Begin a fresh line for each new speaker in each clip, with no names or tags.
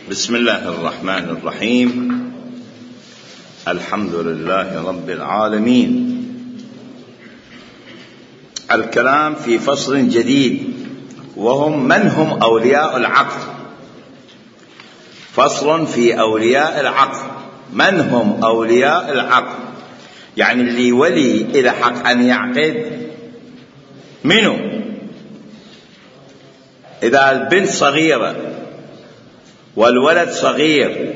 بسم الله الرحمن الرحيم. الحمد لله رب العالمين. الكلام في فصل جديد وهم من هم أولياء العقد. فصل في أولياء العقد. من هم أولياء العقد؟ يعني اللي ولي إلى حق أن يعقد منه. إذا البنت صغيرة والولد صغير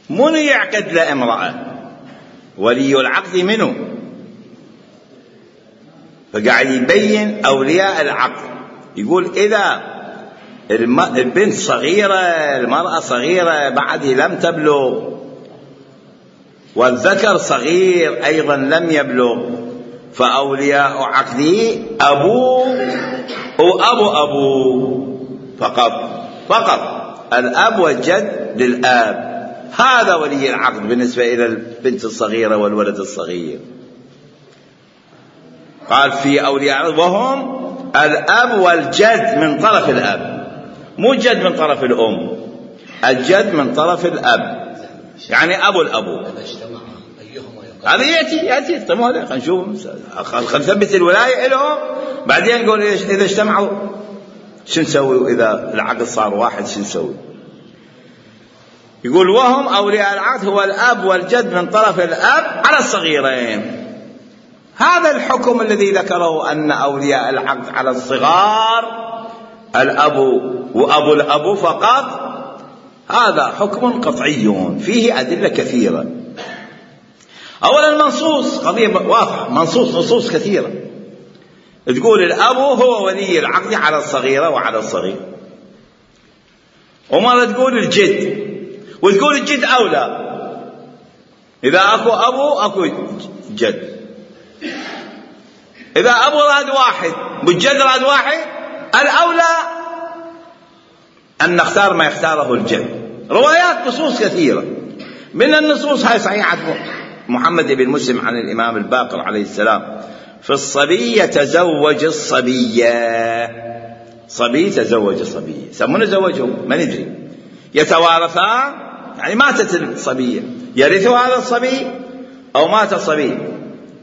من يعقد لامرأة؟ ولي العقد منه. فقاعد يبين أولياء العقد، يقول إذا البنت صغيرة، المرأة صغيرة بعد لم تبلغ، والذكر صغير أيضا لم يبلغ، فأولياء عقده أبوه وأبوه فقط الأب والجد للآب. هذا ولي العقد بالنسبة إلى البنت الصغيرة والولد الصغير. قال في أولياء العقد وهم الأب والجد من طرف الأب، مو الجد من طرف الأم، الجد من طرف الأب، يعني أبو الأبو. هذا يأتي خلينا نشوف، خلينا نثبت الولاية لهم بعدين نقول إذا اجتمعوا شو نسوي، إذا العقد صار واحد شو نسوي. يقول وهم أولياء العقد هو الأب والجد من طرف الأب على الصغيرين. هذا الحكم الذي ذكره أن أولياء العقد على الصغار الأب وأبو الأب فقط، هذا حكم قطعي فيه أدلة كثيرة. أولا منصوص، قضية واضحة، نصوص كثيرة تقول الأب هو ولي العقد على الصغيرة وعلى الصغير، ومرة تقول الجد، وتقول الجد أولى. إذا أكو أبو أكو جد. إذا أبو راد واحد والجد راد واحد، الأولى أن نختار ما يختاره الجد. روايات نصوص كثيرة، من النصوص هاي صحيحة محمد بن مسلم عن الإمام الباقر عليه السلام في الصبي يتزوج الصبية. صبي تزوج الصبية، يسمونه زوجه ما ندري. يتوارثان، يعني ماتت الصبية يرث هذا الصبي أو مات الصبي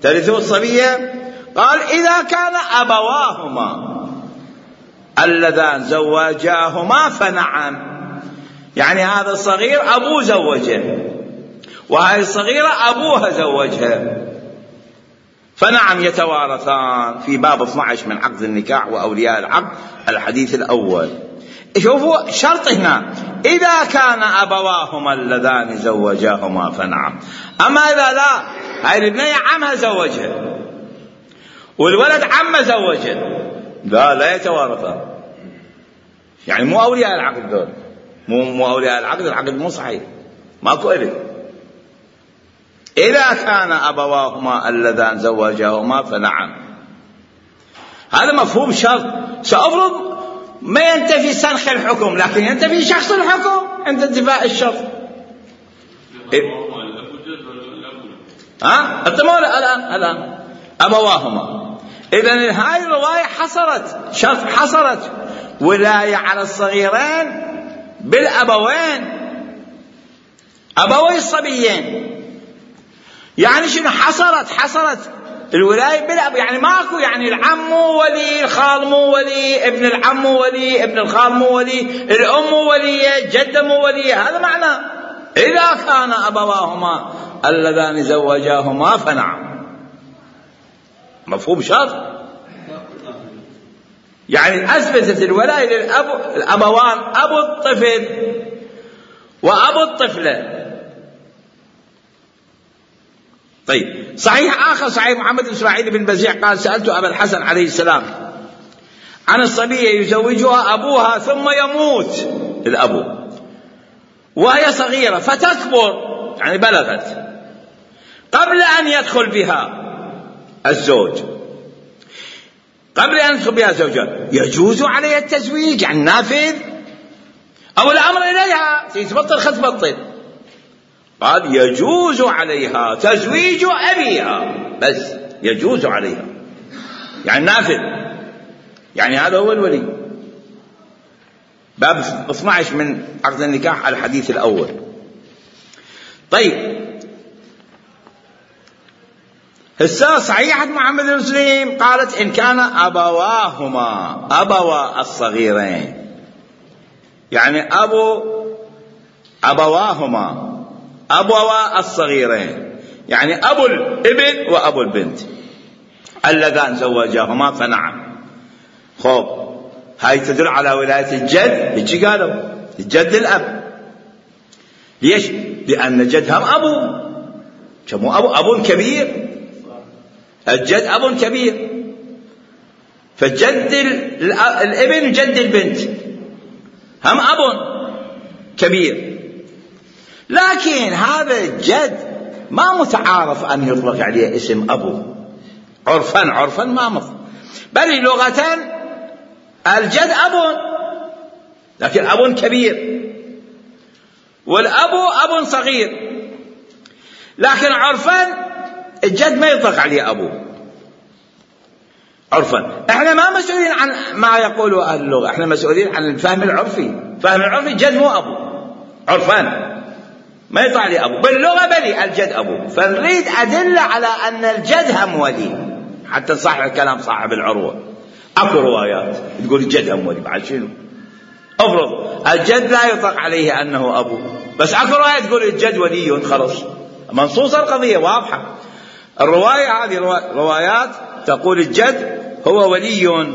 ترثه الصبية. قال إذا كان أبواهما اللذان زوجاهما فنعم، يعني هذا الصغير أبوه زوجه وهذه الصغيرة أبوها زوجها، فنعم يتوارثان في باب 12 من عقد النكاح وأولياء العقد الحديث الأول. شوفوا شرط هنا، إذا كان أبواهما اللذان زوجاهما فنعم. أما إذا لا، هاي الابنية عمها زوجها والولد عمه زوجها، لا يتوارثان، يعني مو أولياء العقد دول، مو أولياء العقد، العقد مو صحيح، ماكو إلي. إذا كان أبواهما اللذان زوجاهما فنعم، هذا مفهوم شرط. سأفرض ما ينتفي سنخ الحكم، لكن ينتفي شخص الحكم عند انتفاء الشرط. الآن أبواهما. إذن هاي الرواية حصرت ولاية على الصغيرين بالأبوين، أبوي الصبيين. يعني شنو حصرت الولاية بالأب، يعني ماكو، يعني العم ولي، الخال مو ولي، ابن العم ولي، ابن الخال مو ولي، الأم ولية، الجدة مو ولية. هذا معنى إذا كان أبواهما اللذان زوجاهما فنعم. مفهوم شرط، يعني أثبتت الولاية الأبوان، أبو الطفل وأبو الطفلة. طيب صحيح آخر، صحيح محمد بن إسماعيل بن بزيع قال سألت أبا الحسن عليه السلام عن الصبية يزوجها أبوها ثم يموت الأبو وهي صغيرة فتكبر، يعني بلغت، قبل أن يدخل بها الزوج، قبل أن يدخل بها زوجها، يجوز عليها التزويج، يعني نافذ، أو الأمر إليها تبطل خذ بطل. قال يجوز عليها تزويج أبيها، بس يجوز عليها، يعني نافذ، يعني هذا هو الولي. باب 12 من عقد النكاح على الحديث الأول. طيب هسه صحيحة محمد بن مسلم قالت إن كان أبوا الصغيرين، يعني أبواهما أبوا الصغيرين، يعني أبو الابن وأبو البنت اللذان زوجاهما فنعم. خب هاي تدل على ولاية الجد، هيك قالوا الجد الأب. ليش؟ لأن جد هم أبو، كمو أب كبير، الجد أب كبير، فجد الابن وجد البنت هم أب كبير. لكن هذا الجد ما متعارف أن يطلق عليه اسم أبو عرفا ما مطلق، بل لغة الجد أب، لكن أب كبير، والأب أب صغير، لكن عرفا الجد ما يطلق عليه أبو عرفا. احنا ما مسؤولين عن ما يقوله أهل اللغة، احنا مسؤولين عن الفهم العرفي. فهم العرفي الجد مو أبو عرفا، ما يطلع عليه أبو، باللغة بلي الجد أبو. فنريد أدلة على أن الجد هم ولي حتى صاحب الكلام صاحب العروة. أكو روايات تقول الجد هم ولي، بعد شنو؟ افرض الجد لا يطلق عليه أنه أبو، بس أكو رواية تقول الجد ولي، خلص منصوصة القضية واضحة. الرواية هذه روايات تقول الجد هو ولي.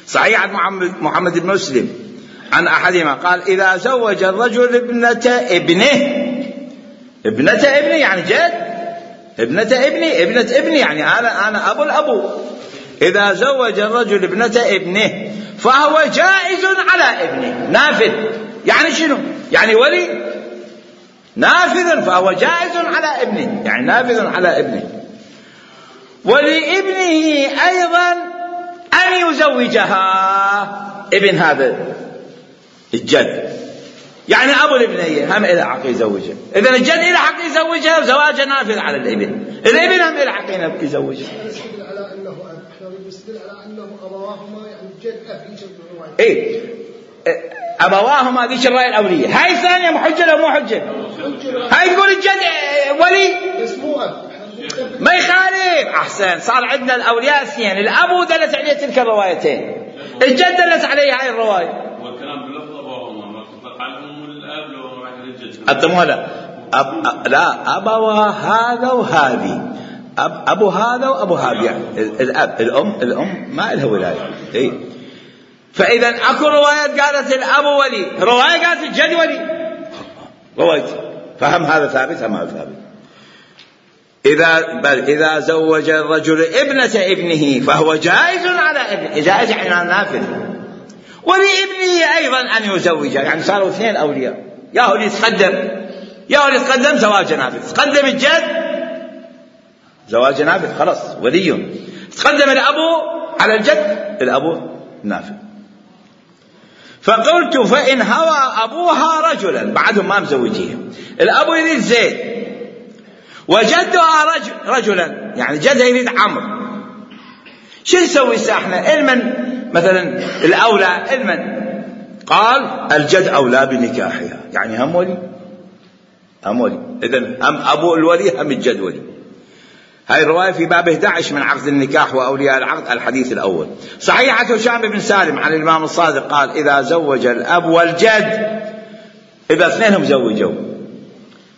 صحيح عن محمد بن مسلم عن أحدهما قال إذا زوج الرجل ابنة ابنه يعني جد، ابنة ابني يعني أنا أبو الأبو. إذا زوج الرجل ابنة ابنه فهو جائز على ابنه، نافذ. يعني شنو؟ يعني ولي نافذ، فهو جائز على ابنه، يعني نافذ على ابنه. ولابنه أيضا أن يزوجها، ابن هذا الجد يعني أبو الابنية هم إلى حق يزوجها. إذن الجد إلى حق يزوجها وزواجها نافذ على الابن، الابن هم إلى حق يزوجها.
نستدل على أنه نستدل على أنه أبواهما يعني الجد أبي جد.
إيه أبواهما ذيك الرأي الأولية. هاي الثانية محجة أو مو حجة؟ هاي تقول الجد ولي
اسمه أب
ما يخالف. أحسن، صار عندنا الأولياء اثنين، الأبو دلت عليه تلك الروايتين، الجد دلت عليه هاي الرواية.
والكلام بلفظ أبواهما ما تطلق عليهم الأب لو راح الجد.
أنتم هذا لا أبوا هذا وهذه، أبو هذا وأبو هذا، يعني الأب الأم ما لها ولاية. إيه؟ فإذا أكو روايات قالت الأب ولي، رواية قالت الجد ولي، رواية. فهم هذا ثابت هم هذا ثابت. إذا زوج الرجل ابنة ابنه فهو جائز على ابنه، جائز يعني نافذ. ولابنه أيضا أن يزوجها، يعني صاروا اثنين أولياء، يا هو اللي يتقدم زواج نافذ، تقدم الجد زواج نافذ خلاص ولي، تقدم الأبو على الجد الأبو نافذ. فقلت فإن هوى أبوها رجلا، بعدهم ما مزوجيها، الأبو يريد زيد وجدها رجلا، يعني جدها يريد عمرو، شو نسوي احنا؟ المن مثلا الأولى، المن قال الجد أولى بنكاحها، يعني هم ولي إذن هم أبو الولي هم الجد ولي. هاي الرواية في باب 11 من عقد النكاح وأولياء العقد الحديث الأول. صحيحة هشام بن سالم عن الإمام الصادق قال إذا زوج الأب والجد، إذا اثنينهم زوجوا،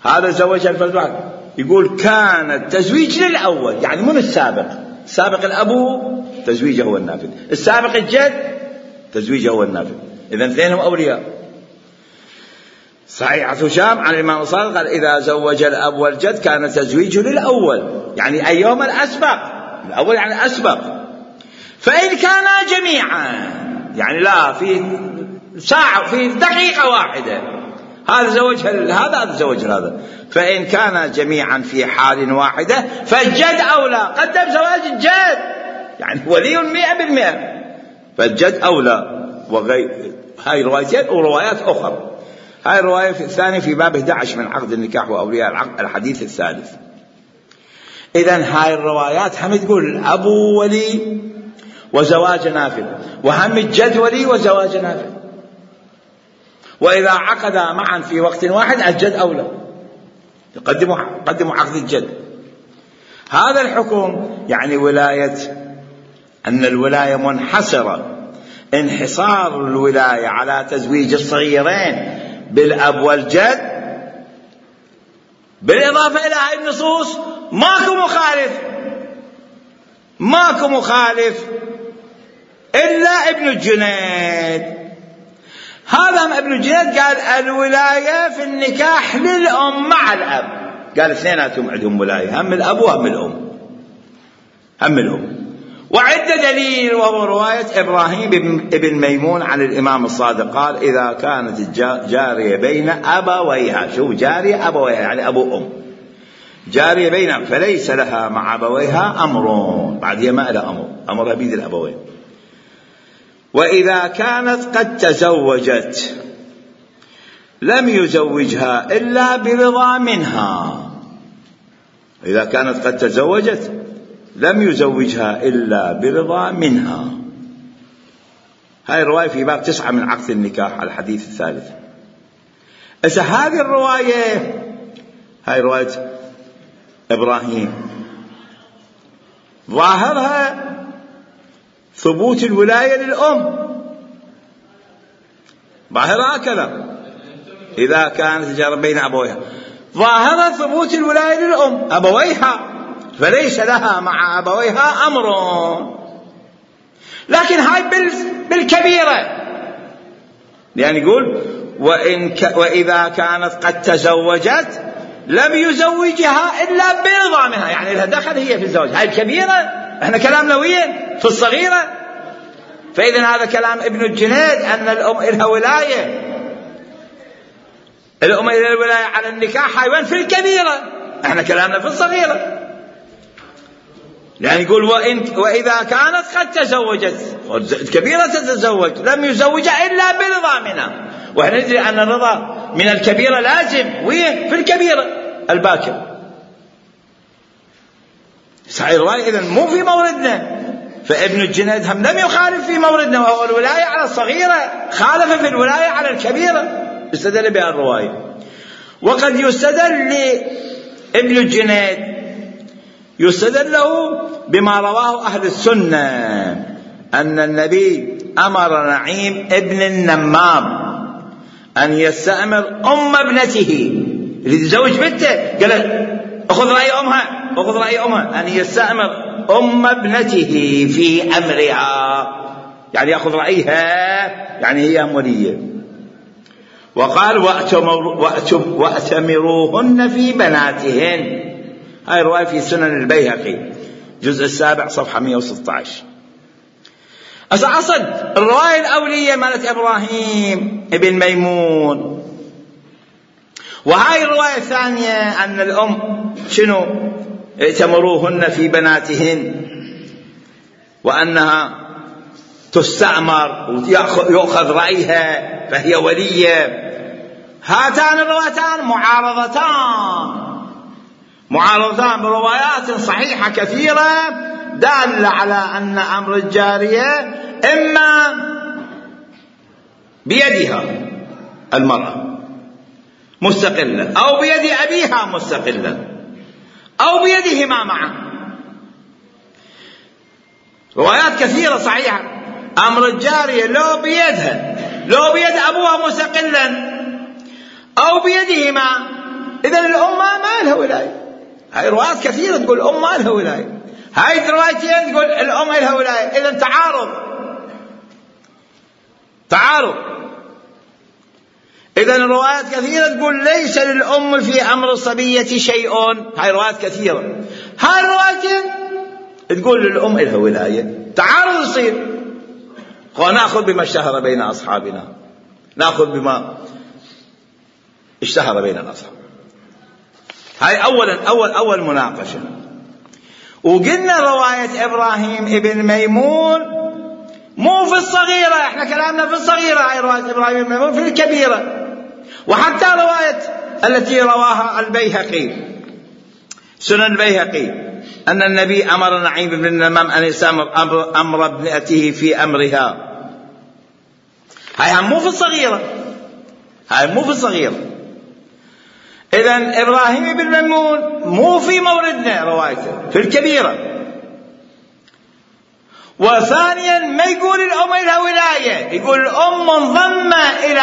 هذا زوج الفرد، يقول كان التزويج للأول، يعني من السابق الأبو تزويجه هو النافذ، السابق الجد تزويجه هو النافذ، إذا اثنينهم أولياء. صحيح هشام عن الإمام الصادق قال إذا زوج الأب والجد كان التزويج للأول، يعني أيهما الأسبق، الأول يعني أسبق. فإن كانا جميعا، يعني لا في ساعة في دقيقة واحدة، هذا زوج هذا زوج هذا، فإن كان جميعا في حال واحدة فالجد أولى، قدم زواج الجد، يعني ولي 100%، فالجد أولى. وغير هاي روايتين وروايات أخرى. هاي الرواية الثانية في باب 11 من عقد النكاح وأولياء العقد الحديث الثالث. إذن هاي الروايات هم تقول الأبو ولي وزواج نافذ، وهم الجد ولي وزواج نافذ. وإذا عقدا معا في وقت واحد الجد أولى، قدموا عقد الجد. هذا الحكم يعني ولاية، أن الولاية منحصرة انحصار الولاية على تزويج الصغيرين بالأب والجد، بالإضافة إلى هذه النصوص ماكو مخالف إلا ابن الجنيد. هذا ابن الجنيد قال الولاية في النكاح للأم مع الأب، قال اثنيناتهم عندهم ولاية، هم الأب وهم الأم. وعد دليل وهو رواية إبراهيم بن ميمون عن الإمام الصادق قال إذا كانت الجارية بين أبويها، شو جارية أبويها يعني أبو أم، جارية بين فليس لها مع أبويها أمر، بعد هي ما لها أمرها بيد الأبوين. وإذا كانت قد تزوجت لم يزوجها إلا برضا منها، إذا كانت قد تزوجت لم يزوجها إلا برضا منها. هاي الرواية في باب 9 من عقد النكاح على الحديث الثالث. إذا هذه الرواية، هاي رواية إبراهيم، ظاهرها ثبوت الولاية للأم، ظاهرها كلام إذا كانت الجارية بين أبويها، ظاهرها ثبوت الولاية للأم أبويها، فليس لها مع أبويها أمر. لكن هاي بالكبيرة، يعني يقول وإذا كانت قد تزوجت لم يزوجها إلا برضا منها، يعني لها دخل هي في الزواج. هاي الكبيرة، احنا كلامنا وين في الصغيرة. فإذا هذا كلام ابن الجنيد أن الأم إلها ولاية، الأم إلها الولاية على النكاح هاي وين في الكبيرة، احنا كلامنا في الصغيرة. يعني يقول وإذا كانت قد تزوجت، الكبيرة تتزوج لم يزوجها إلا برضا منها، وإحنا ندري أن الرضا من الكبيرة لازم، وين في الكبيرة الباكر. صحيح الرواية إذن مو في موردنا، فابن الجنيد هم لم يخالف في موردنا وهو الولاية على الصغيرة، خالف في الولاية على الكبيرة، استدل بها الرواية. وقد يستدل لابن الجنيد، يستدل له بما رواه أهل السنة أن النبي أمر نعيم ابن النمام أن يستأمر أم ابنته اللي تزوج بنته، قال أخذ رأي أمها أن يستأمر أم ابنته في أمرها، يعني يأخذ رأيها، يعني هي ولية. وقال وأتمروهن في بناتهن. هاي رواية في سنن البيهقي جزء 7 صفحة 116. أصل الرواية الأولية مالت إبراهيم ابن ميمون، وهاي الرواية الثانية أن الأم شنو ائتمروهن في بناتهن، وأنها تستأمر ويأخذ رأيها فهي ولية. هاتان الروايتان معارضتان بروايات صحيحة كثيرة دالة على أن أمر الجارية إما بيدها المرأة مستقلة، أو بيد أبيها مستقلة، أو بيدهما معا. روايات كثيرة صحيحة. أمر الجارية لو بيدها، لو بيد أبوها مستقلا، أو بيدهما، إذن الأم ما لها ولاية. هاي روايات كثيرة تقول الأم ما لها ولاية، هاي روايتين تقول الأم لها ولاية. إذن تعارض. إذن الروايات كثيرة تقول ليس للأم في أمر الصبية شيء، هاي روايات كثيرة. هاي الروايتين تقول للأم لها ولاية. تعارض يصير، ونأخذ بما اشتهر بين أصحابنا، نأخذ بما اشتهر بين الأصحاب. هاي أول مناقشة. وقلنا رواية إبراهيم ابن ميمون مو في الصغيرة، احنا كلامنا في الصغيرة، هاي رواية إبراهيم ابن ميمون في الكبيرة. وحتى رواية التي رواها البيهقي سنن البيهقي أن النبي أمر نعيم بن النمام أن يستأمر أمر ابنته في أمرها، هاي هم مو في الصغيرة، هاي مو في الصغيرة. إذن إبراهيم بن ميمون مو في موردنا روايته، في الكبيرة. وثانيا ما يقول الأم إلى ولاية، يقول الأم منضمة إلى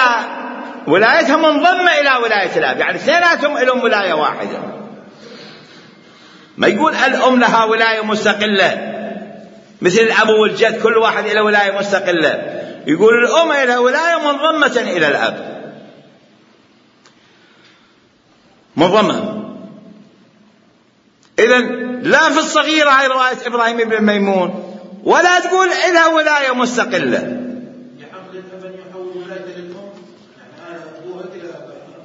ولايتها، منضمة إلى ولاية الأب، يعني اثنيناتهم لهم ولاية واحدة. ما يقول الأم لها ولاية مستقلة مثل الأب والجد كل واحد إلى ولاية مستقلة، يقول الأم إلى ولاية منضمة إلى الأب، منضمة. إذن لا في الصغيرة هاي رواية إبراهيم بن ميمون، ولا تقول إلى ولاية مستقلة.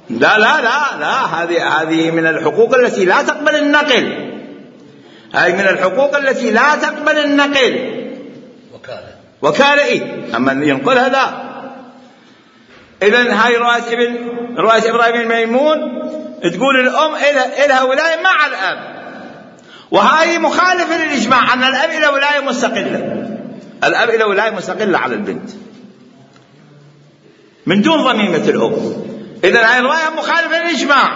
لا لا لا لا، هذه من الحقوق التي لا تقبل النقل، هذه من الحقوق التي لا تقبل النقل. وكالة إيه، أما ينقلها لا. إذن هاي رواية إبراهيم بن ميمون تقول الأم إلها ولاية مع الأب، وهاي مخالفة للإجماع أن الأب إلى ولاية مستقلة، الأب إلى ولاية مستقلة على البنت من دون ضميمة الأم. إذن هاي الرواية مخالفة للإجماع،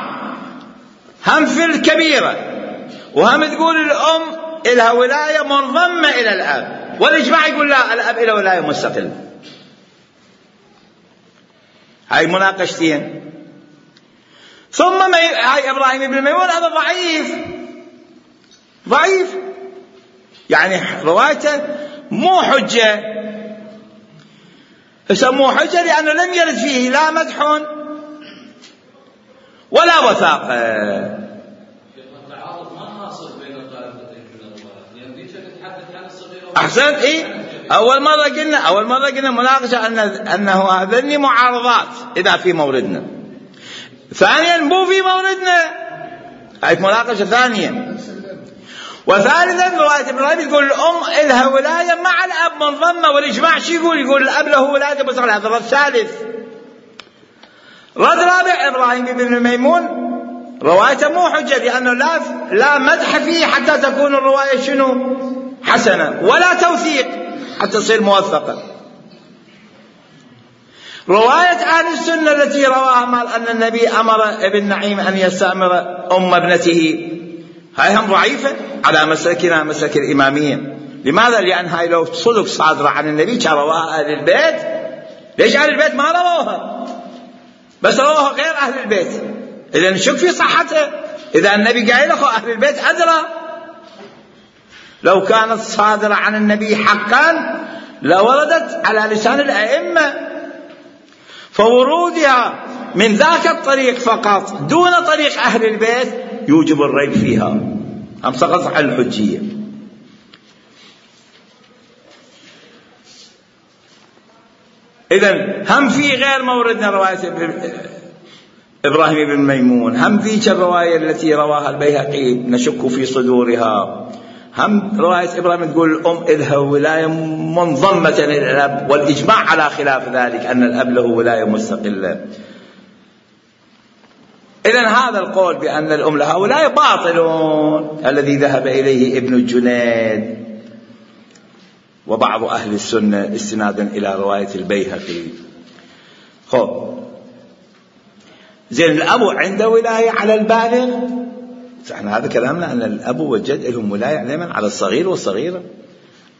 هم في الكبيرة، وهم تقول الأم إلها ولاية منضمة إلى الأب، والإجماع يقول لا، الأب إلى ولاية مستقلة. هاي مناقشتين. ثم هاي إبراهيم بن ميمون هذا ضعيف، يعني روايته مو حجة. مو حجة لأنه لم يرد فيه لا مدح ولا وثاقة. أحسنت. إيه، أول مرة قلنا مناقشة أنه هذني معارضات إذا في موردنا. ثانيا مو في موردنا، هاي مناقشة ثانية. وثالثا رواية إبراهيم تقول الأم إلها ولاية مع الأب منضمة، والإجماع شو يقول الأب له ولاية مستقلة. هذا رد ثالث. رد رابع إبراهيم بن ميمون روايته مو حجة لأنه لا مدح فيه حتى تكون الرواية شنو حسنة، ولا توثيق حتى تصير موثقة. رواية أهل السنة التي رواها مال أن النبي أمر ابن نعيم أن يستأمر أم ابنته، هاي هم ضعيفة على مسلكنا مسلك الإمامية. لماذا؟ لأن هاي لو صدق صادرة عن النبي كان رواها أهل البيت. ليش أهل البيت ما رواها؟ بس رواها غير أهل البيت. إذا نشك في صحته. إذا النبي قايل أخو أهل البيت أدرى. لو كانت صادرة عن النبي حقا لوردت على لسان الأئمة، فورودها من ذاك الطريق فقط دون طريق أهل البيت يوجب الريب فيها، هم سقط على الحجية. إذن هم في غير موردنا رواية إبراهيم بن ميمون، هم في الرواية التي رواها البيهقي نشك في صدورها، هم رواية إبراهيم تقول الأم إلها ولاية منضمة إلى الأب، والإجماع على خلاف ذلك أن الأب له ولاية مستقلة. إذن هذا القول بأن الأم لها ولاية باطل، الذي ذهب إليه ابن الجنيد وبعض أهل السنة استنادا إلى رواية البيهقي. زين الأب عنده ولاية على البالغ؟ احنا هذا كلامنا أن الأب والجد لهم ولاية دائما على الصغير والصغيرة.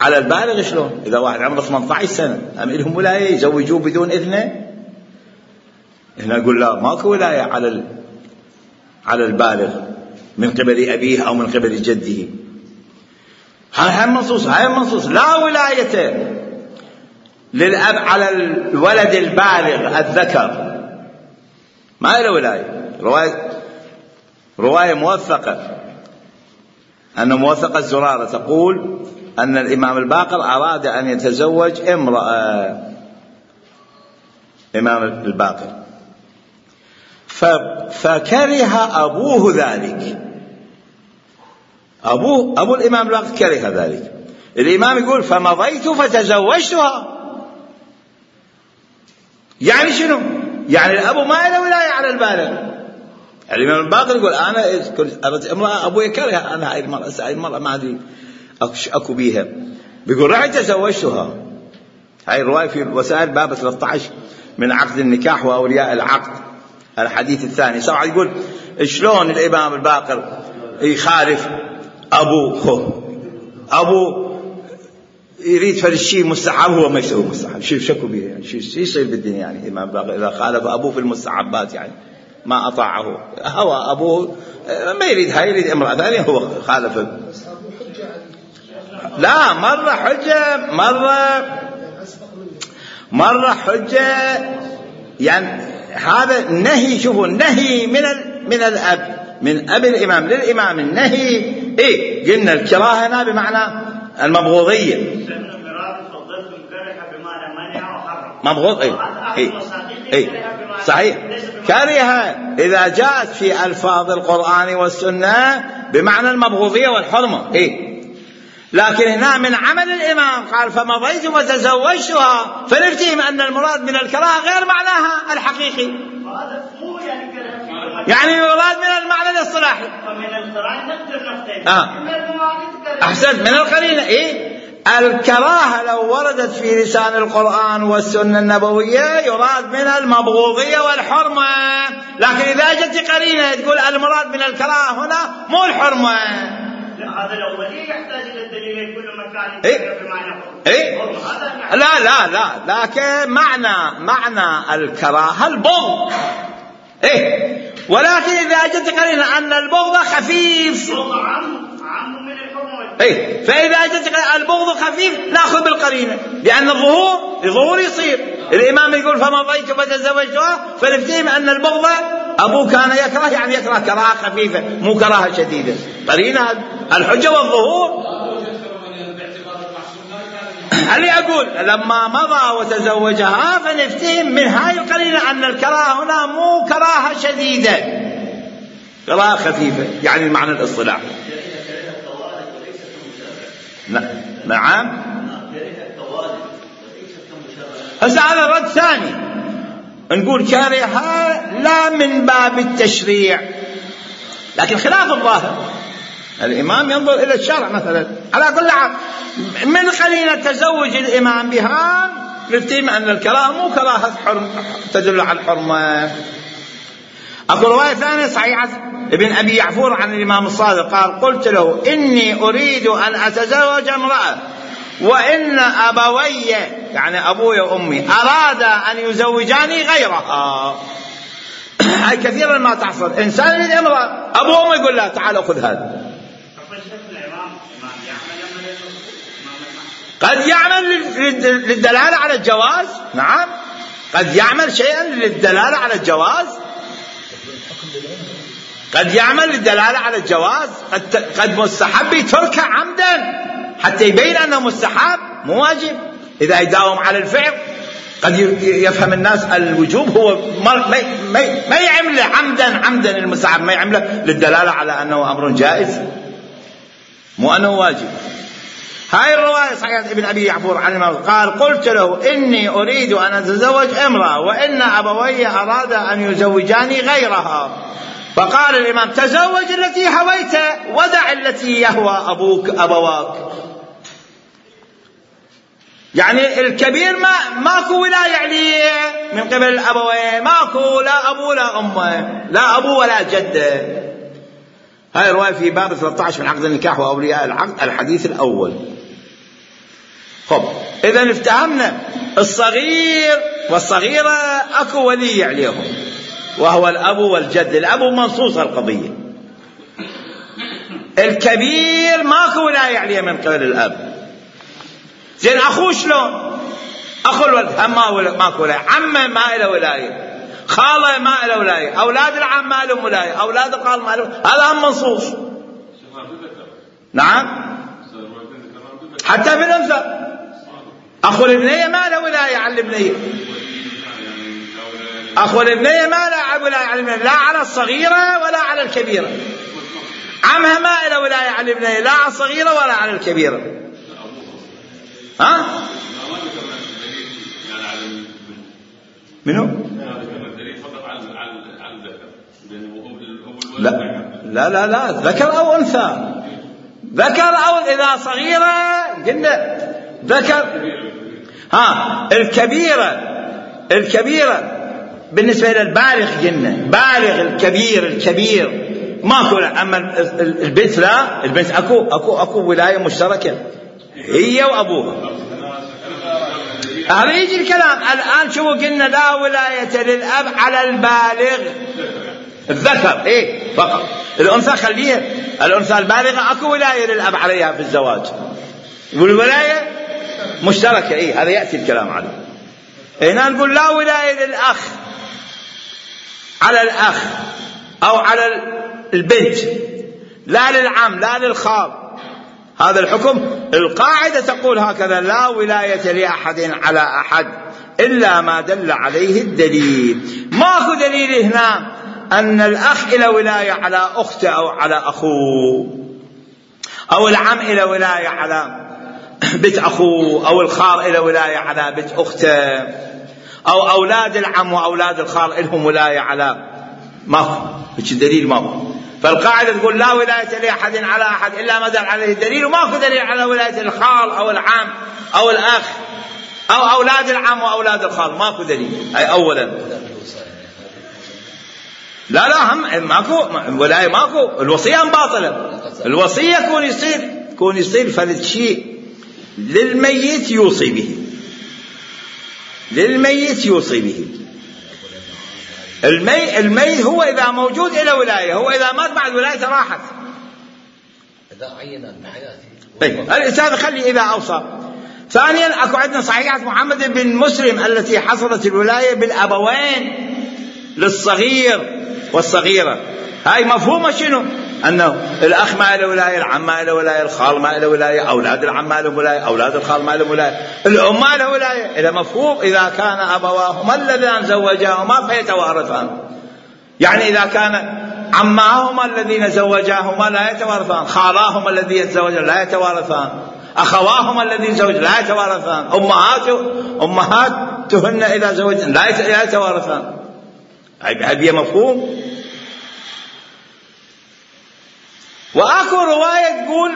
على البالغ شلون؟ إذا واحد عمره 18 سنة أم لهم ولاية يزوجوه بدون إذنه؟ هنا نقول لا، ماكو ولاية على البالغ من قبل أبيه أو من قبل جده. هاي النصوص لا ولاية للأب على الولد البالغ الذكر، ما له ولاية. رواية موثقة، أن موثقة الزرارة تقول أن الإمام الباقر أراد أن يتزوج امرأة، إمام الباقر، فكره أبوه ذلك. أبو الإمام الباقر كره ذلك. الإمام يقول فمضيت فتزوجتها. يعني شنو؟ يعني الأب ما له ولاية على البالغ. الإمام الباقر يقول أنا أردت امرأة أبوي كره أنا هاي المرأة ما أدري أكو بيها، بيقول رحت تزوجتها. هاي الرواية في وسائل باب 13 من عقد النكاح وأولياء العقد. الحديث الثاني. سواء يقول شلون الإمام الباقر يخالف أبو يريد فالشيء مستحب هو ما يسوي مستحب. شكوا به يعني شو يصير بالدنيا يعني الإمام الباقر إذا خالف أبوه في المستحبات يعني ما أطاعه هو أبوه ما يريد هاي يريد امرأة ثانية هو خالف. لا مرة حجة مرة حجة يعني هذا نهي. شوفوا النهي من الأب من أب الإمام للإمام النهي إيه قلنا الكراهة هنا بمعنى المبغوضية مبغوض إيه صحيح كره إذا جاءت في ألفاظ القرآن والسنة بمعنى المبغوضية والحرمة إيه. لكن هنا من عمل الإمام قال فمضيت وتزوجتها فنفتهم أن المراد من الكراهة غير معناها الحقيقي يعني المراد من المعنى الاصطلاحي أحسنت من القرينة إيه. الكراهة لو وردت في لسان القرآن والسنة النبوية يراد من المبغوضية والحرمة. لكن إذا جت قرينة تقول المراد من الكراهة هنا مو الحرمة.
هذا الأولي يحتاج إلى الدليل كل مكان بمعنى
لا لكن معنى الكراهة البغض إيه. ولكن إذا جت قرينة أن البغض خفيف
عام من الحرمة
إيه فإذا جت البغض خفيف نأخذ بالقرينة لأن الظهور يصير. الإمام يقول فمضيت فتزوجتها فنفتهم أن البغض أبوه كان يكره يعني يكره كراهة خفيفة مو كراهة شديدة. قرينة الحجة والظهور. اللي أقول لما مضى وتزوجها فنفتهم من هاي القرينة أن الكراهة هنا مو كراهة شديدة كراهة خفيفة يعني المعنى الاصطلاحي. نعم هسه هذا رد ثاني نقول كارهة لا من باب التشريع لكن خلاف الظاهر. الإمام ينظر إلى الشرع مثلا على كل حال من قرينة تزوج الإمام بها نفتهم أن الكراهة مو كراهة تدل على الحرمة. أقول رواية ثانية صحيحة ابن أبي يعفور عن الإمام الصادق قال قلت له إني أريد أن أتزوج امرأة وإن أبوي يعني أبوي وأمي أراد أن يزوجاني غيرها. هاي كثيرا ما تحصل إنسان يريد امرأة أبوه يقول لا تعال أخذ هذا. قد يعمل للدلالة على الجواز. نعم قد يعمل شيئا للدلالة على الجواز قد يعمل للدلالة على الجواز قد مستحب يتركه عمدا حتى يبين أنه مستحب مو واجب. إذا يداوم على الفعل قد يفهم الناس الوجوب هو ما يعمل عمدا المستحب ما يعمله للدلالة على أنه أمر جائز مو أنه واجب. هاي الرواية صحيحة ابن أبي يعفور عن الإمام قال قلت له إني أريد أن أتزوج امرأة وإن أبوي أراد أن يزوجاني غيرها. فقال الإمام تزوج التي هويت ودع التي يهوى أبواك. يعني الكبير ماكو ولاية عليه من قبل الأبوين ماكو لا أبو لا أمه لا أبو ولا جده. هاي الرواية في باب 13 من عقد النكاح وأولياء العقد الحديث الأول. خب إذا افتهمنا الصغير والصغيرة أكو ولي عليهم وهو الأب والجد. الأب منصوص القضية. الكبير ماكو ولاية عليه من قبل الأب. زين أخوه شلون؟ أخو الولد هم ماكو ولاية. عمه ما له ولاية خاله ما له ولاية أولاد العم ما لهم ولاية أولاد الخال ما لهم هذا هم منصوص. نعم حتى في الأنثى أخو الابنية ما له ولاية على الابنية أخو الابنية ما له ولاية على الابنية لا على الصغيرة ولا على الكبيرة. عمها ما له ولاية على الابنية لا على الصغيرة ولا على الكبيرة. ها منو؟ لا ذكر أو أنثى. ذكر أو إذا صغيرة قلنا ذكر. الكبيرة الكبيرة بالنسبة إلى البالغ قلنا بالغ الكبير ماكو. أما البنت لا، البنت أكو ولاية مشتركة هي وأبوها. هذا يجي الكلام الآن. شو قلنا؟ لا ولاية للأب على البالغ الذكر فقط. الأنثى خليها، الأنثى البالغة أكو ولاية للأب عليها في الزواج، والولاية مشتركة. هذا يأتي الكلام عليه. هنا نقول لا ولاية للأخ على الأخ أو على البنت، لا للعم لا للخال. هذا الحكم القاعدة تقول هكذا: لا ولاية لأحد على أحد إلا ما دل عليه الدليل. ماكو دليل هنا أن الأخ إلى ولاية على أخته أو على أخوه، أو العم إلى ولاية على بنت أخوه، أو الخال إلى ولاية على بنت أخته، أو أولاد العم وأولاد الخال إلهم ولاية على. ماكو دليل، ماكو. فالقاعدة تقول لا ولاية لأحد على أحد إلا ما دل عليه الدليل، وماكو دليل على ولاية الخال أو العم أو الأخ أو أولاد العم وأولاد الخال، ماكو دليل. أي أولا لا هم ماكو ولاية، ماكو. الوصية باطلة. الوصية كون يصير فرد شيء للميت يوصي به، للميت يوصي به. الميت هو إذا موجود إلى ولاية، هو إذا مات بعد ولايته راحت.
إذا عين بحياته.
الإنسان خلي إذا أوصى. ثانيا أكو عندنا صحيحة محمد بن مسلم التي حصلت الولاية بالأبوين للصغير والصغيرة. هاي مفهومة شنو؟ أنه الأخ ما له ولاية، العم ما له ولاية، الخال ما له ولاية، أولاد العم ما له ولاية، أولاد الخال ما له ولاية، الأم ما له ولاية. إذا مفهوم إذا كان أبواهما اللذان زوجاهما فيتوارثان. يعني إذا كان عماهما الذين زوجاهما لا يتوارثان، خالاهما الذين يتزوجان لا يتوارثان، أخواهما الذين زوجا لا يتوارثان، أمهاتهن إذا زوجن لا يتوارثان. هذه مفهوم. وأكو رواية تقول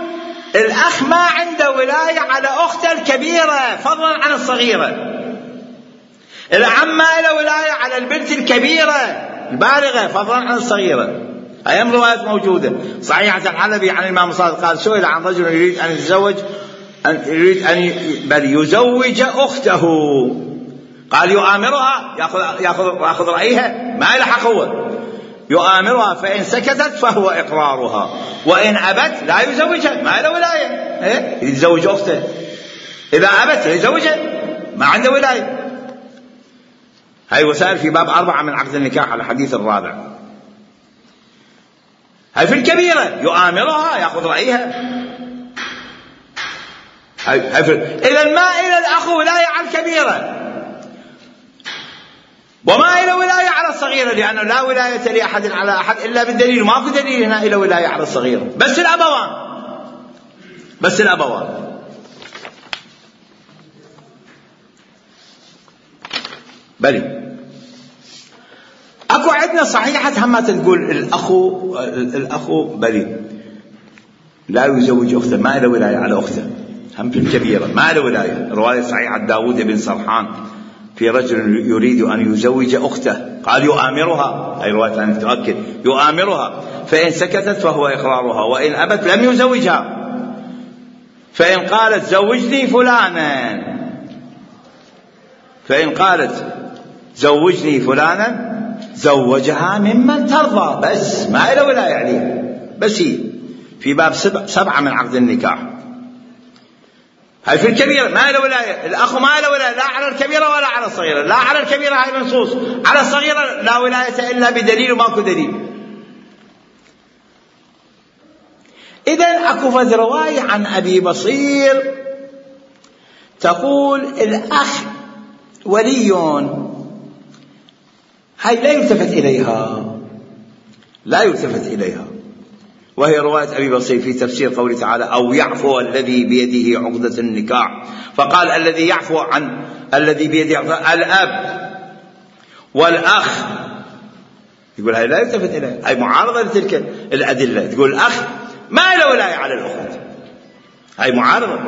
الأخ ما عنده ولاية على أخته الكبيرة فضلا عن الصغيرة، العم ما له ولاية على البنت الكبيرة البالغة فضلا عن الصغيرة. هاي روايات موجودة صحيحة. الحلبي عن الإمام الصادق قال: سئل عن رجل يريد أن يزوج أخته، قال: يؤامرها، يأخذ رأيها، ما له حق هو، يؤامرها، فإن سكتت فهو إقرارها، وإن أبت لا يزوجها، ما له ولاية. يتزوج أخته، إذا أبت يزوجها، ما عنده ولاية. هاي وسائل في باب 4 من عقد النكاح على الحديث الرابع. هاي في الكبيرة يؤامرها، يأخذ رأيها. إذا ما إلى الأخ ولاية على الكبيرة، وما إلى ولاية على الصغيرة، لأنه لا ولاية لأحد على أحد إلا بالدليل. ما في دليل هنا إلى ولاية على الصغيرة، بس الأبوان. بلي أكو عندنا صحيحة هم تقول الأخو بلي لا يزوج أخته، ما إلى ولاية على أخته، هم في الكبيرة ما إلى ولاية. رواية صحيحة داود بن سرحان في رجل يريد أن يزوج أخته، قال: يؤامرها، أي رواية أن تؤكد، يؤامرها، فإن سكتت فهو إقرارها، وإن أبت لم يزوجها، فإن قالت زوجني فلانا، فإن قالت زوجني فلانا زوجها ممن ترضى، بس ما إلى ولاية عليها. بس هي في باب 7 من عقد النكاح. هاي في الكبيرة ما له ولاية، الأخ ما له ولاية لا على الكبيرة ولا على الصغيرة. لا على الكبيرة هاي منصوص، على الصغيرة لا ولاية إلا بدليل، وماكو دليل. إذن أكو فد رواية عن أبي بصير تقول الأخ ولي، هاي لا يلتفت إليها، وهي رواية أبي بصير في تفسير قوله تعالى: أو يعفو الذي بيده عقدة النكاح. فقال: الذي يعفو عن الذي بيده عقدة الأب والأخ. يقول هاي لا يلتفت إليها، هاي معارضة لتلك الأدلة. تقول الأخ ما له ولاية على الأخت، هاي معارضة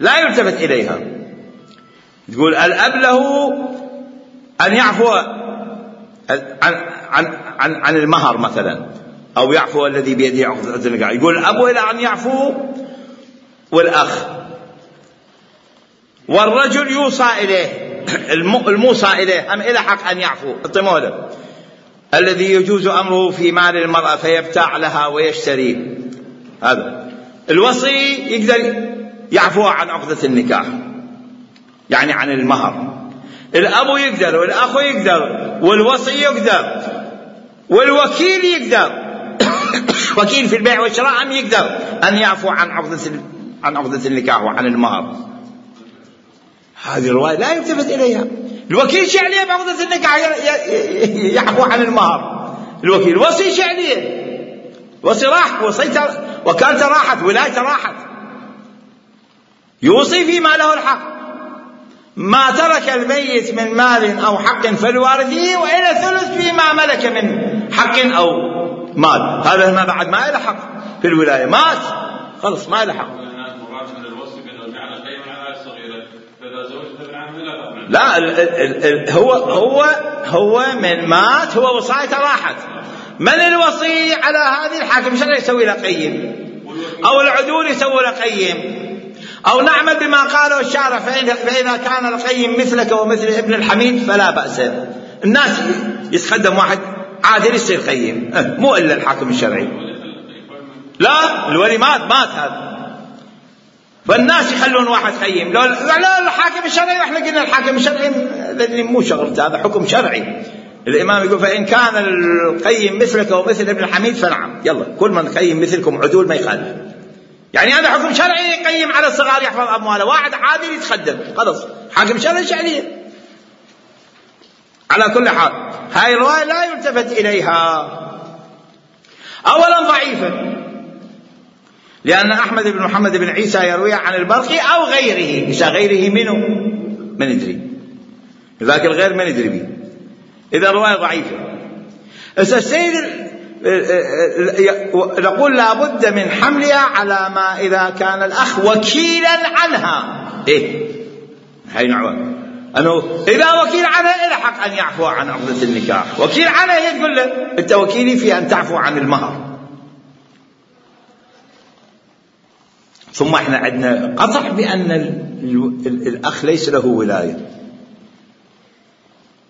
لا يلتفت إليها. تقول الأب له أن يعفو عن المهر مثلا، أو يعفو الذي بيده عقدة النكاح. يقول الأب إلى أن يعفو، والأخ، والرجل يوصى إليه، الموصى إليه هم إلى حق أن يعفو. الطمولة الذي يجوز أمره في مال المرأة فيبتاع لها ويشتريه، هذا الوصي يقدر يعفو عن عقدة النكاح، يعني عن المهر. الأب يقدر، والأخ يقدر، والوصي يقدر، والوكيل يقدر وكيل في البيع والشراء هم يقدر أن يعفو عن عقدة النكاح وعن المهر. هذه الرواية لا يلتفت إليها. الوكيل شو عليه بعقدة النكاح؟ يعفو عن المهر. الوكيل الوصي شو عليه؟ وصي راح، وكالته راحت، ولايته راحت، يوصي فيما له الحق. ما ترك الميت من مال أو حق فلوارثه، وإلى ثلث فيما ملك من حق أو مال. هذا ما بعد ما له حق في الولاية، مات خلص ما له حق. لا هو من مات، هو وصايته راحت. من الوصي على هذه؟ الحاكم الشرعي يسوي له قيم، أو العدول يسوي له قيم، أو نعمل بما قاله الشارع. فإذا كان القيم مثلك ومثل ابن الحميد فلا بأس. الناس يتقدم واحد عادل يصير قيم، مو إلا الحاكم الشرعي. لا الولي مات هذا، فالناس يخلون واحد قيم. لا الحاكم الشرعي، واحنا قلنا الحاكم الشرعي لأن مو شغلته، هذا حكم شرعي. الإمام يقول فإن كان القيم مثلك ومثل ابن الحميد فنعم، يلا كل من قيم مثلكم عدول ما يخالف. يعني هذا حكم شرعي يقيم على الصغار يحفظ أمواله. واحد عادل يتقدم خلص، حاكم شرعي شعريه. على كل حال هاي الرواية لا يلتفت إليها. أولا ضعيفة، لأن أحمد بن محمد بن عيسى يروي عن البرقي أو غيره. إذا غيره منه ما ندري، ذاك الغير ما ندري به، إذا الرواية ضعيفة. السيد نقول لابد من حملها على ما إذا كان الأخ وكيلا عنها. هاي نعوة أنه إذا وكيل عنها إلى حق أن يعفو عن عقدة النكاح. وكيل عنها هي تقول له أنت وكيلي في أن تعفو عن المهر. ثم احنا عندنا قطع بأن الأخ ليس له ولاية،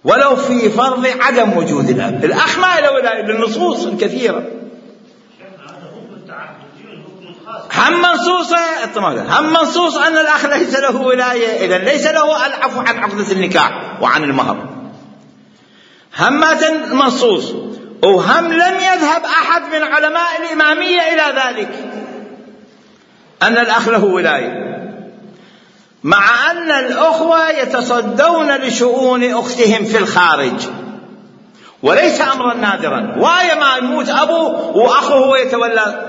ولو في فرض عدم وجود الأب. الأخ ما له ولاية بالنصوص الكثيرة. هم منصوص أن الأخ ليس له ولاية، إذن ليس له العفو عن عقدة النكاح وعن المهر. هم منصوص، وهم لم يذهب أحد من علماء الإمامية إلى ذلك أن الأخ له ولاية، مع أن الأخوة يتصدون لشؤون أختهم في الخارج، وليس أمرا نادرا. وايا ما يموت أبوه وأخوه يتولى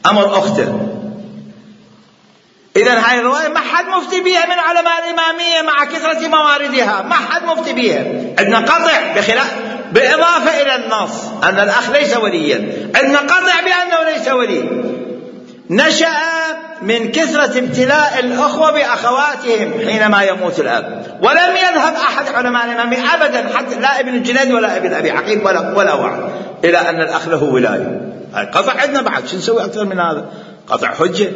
أمر أخته. إذن هاي الرواية ما حد مفتي بها من علماء الإمامية مع كثرة مواردها، ما حد مفتي بها. عندنا قطع بإضافة إلى النص أن الأخ ليس وليا، عندنا قطع بأنه ليس ولي. نشأ من كثرة ابتلاء الأخوة بأخواتهم حينما يموت الأب، ولم يذهب أحد علماء الإمامية أبدا، حتى لا ابن الجنيد ولا ابن أبي عقيل ولا واحد، إلى أن الأخ له ولاية. قطع عندنا بعد، شو نسوي أكثر من هذا؟ قطع حجة.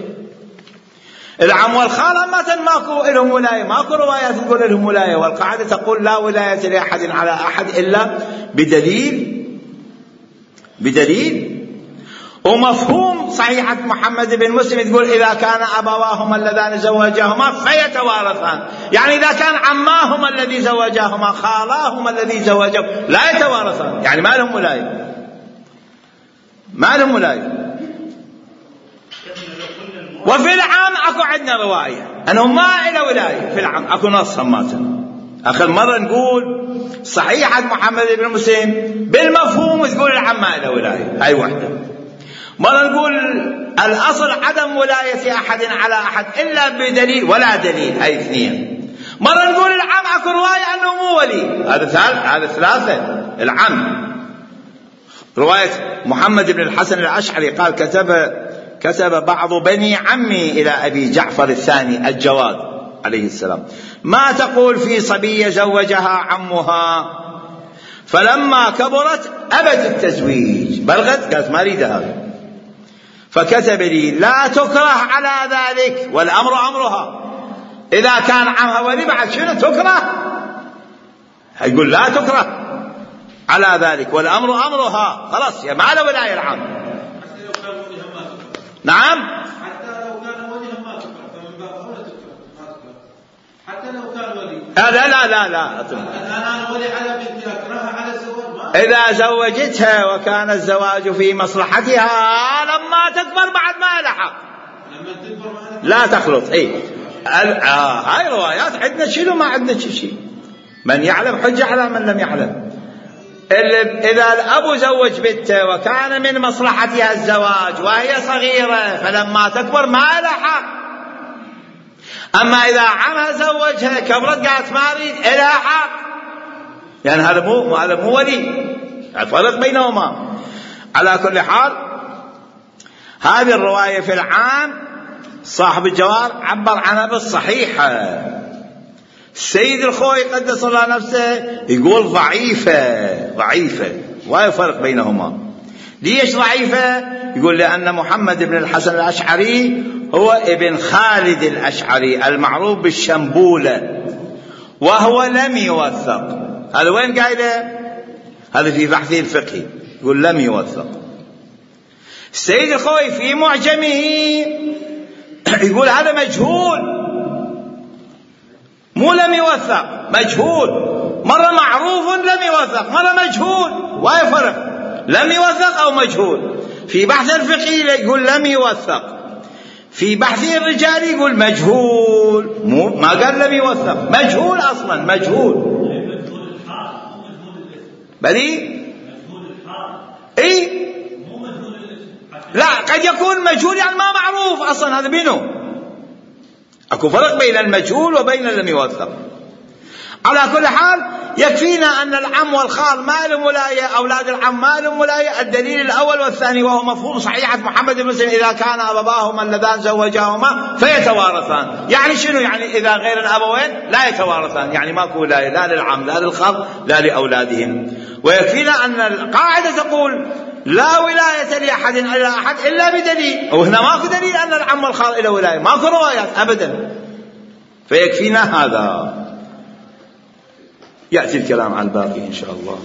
العم والخالة ماكو لهم ولاية، ماكو روايات تقول لهم ولاية، والقاعدة تقول لا ولاية لأحد على أحد إلا بدليل. ومفهوم صحيحة محمد بن مسلم تقول إذا كان أبواهما اللذان زوجاهما فيتوارثان، يعني إذا كان عماهما الذي زوجاهما خالاهما الذي زوجاهما لا يتوارثان، يعني ما لهم ولاية. وفي العام أكو عندنا رواية أنه ما إلى ولاية في العام، أكو نص هماتنا. آخر مرة نقول صحيحة محمد بن مسلم بالمفهوم تقول العام ما إلى ولاية، هاي واحدة. مرة نقول الأصل عدم ولاية أحد على أحد إلا بدليل ولا دليل، هاي اثنين. مرة نقول العم أكو رواية أنه مو ولي، هذا ثلاثة. العم رواية محمد بن الحسن الأشعري قال كتب بعض بني عمي إلى أبي جعفر الثاني الجواد عليه السلام. ما تقول في صبية زوجها عمها فلما كبرت أبت التزويج، بلغت قالت ما أريد هذا، فكتب لي لا تكره على ذلك والأمر أمرها. إذا كان عمها ولي بعد شنو تكره؟ يقول لا تكره على ذلك والأمر أمرها، خلاص يا ما له ولاية العام. نعم
حتى لو كان وليها ما تكره، فمن باب أولى تكره ما تكره حتى لو كان ولي.
لا لا لا لا
أنا ولي على بنتي أكرهها على الزواج
إذا زوجتها وكان الزواج في مصلحتها لما تكبر بعد ما لها حق،
لما تكبر ما
لا تخلط. هاي روايات عندنا شنو ما عندنا شيء. من يعلم حجة على من لم يعلم. إذا الأب زوج بنته وكان من مصلحتها الزواج وهي صغيرة فلما تكبر ما لها حق. أما إذا عمها زوجها كبرت قالت ما أريد إلها حق، يعني هذا مو ولي، الفرق بينهما. على كل حال هذه الرواية في العام صاحب الجواب عبر عنها بالصحيحة. السيد الخوي قدس الله نفسه يقول ضعيفة ولا فرق بينهما. ليش ضعيفة؟ يقول لأن محمد بن الحسن الأشعري هو ابن خالد الأشعري المعروف بالشنبولة، وهو لم يوثق. هذا وين قايله؟ هذا في بحثه الفقهي، يقول لم يوثق. السيد الخوي في معجمه يقول هذا مجهول، مو لم يوثق، مجهول. مرة معروف لم يوثق، مرة مجهول، وهي فرق لم يوثق أو مجهول. في بحث الفقهي يقول لم يوثق، في بحث الرجال يقول مجهول، ما قال لم يوثق، مجهول أصلا، مجهول. بلي اي لا، قد يكون مجهول يعني ما معروف اصلا، هذا بينه. اكو فرق بين المجهول وبين لم يوثق. على كل حال يكفينا ان العم والخال ما لهم ولايه، اولاد العم ما لهم ولايه. الدليل الاول والثاني وهو مفهوم صحيحه محمد بن مسلم اذا كان ابواهما اللذان زوجاهما فيتوارثان. يعني شنو؟ يعني اذا غير الابوين لا يتوارثان، يعني ماكو ولايه لا للعم لا للخال لا لاولادهم. ويكفينا ان القاعده تقول لا ولايه لاحد الا احد الا بدليل، وهنا ماكو دليل ان العم والخال له ولايه، ماكو روايات ابدا. فيكفينا هذا. يأتي الكلام على الباقي إن شاء الله.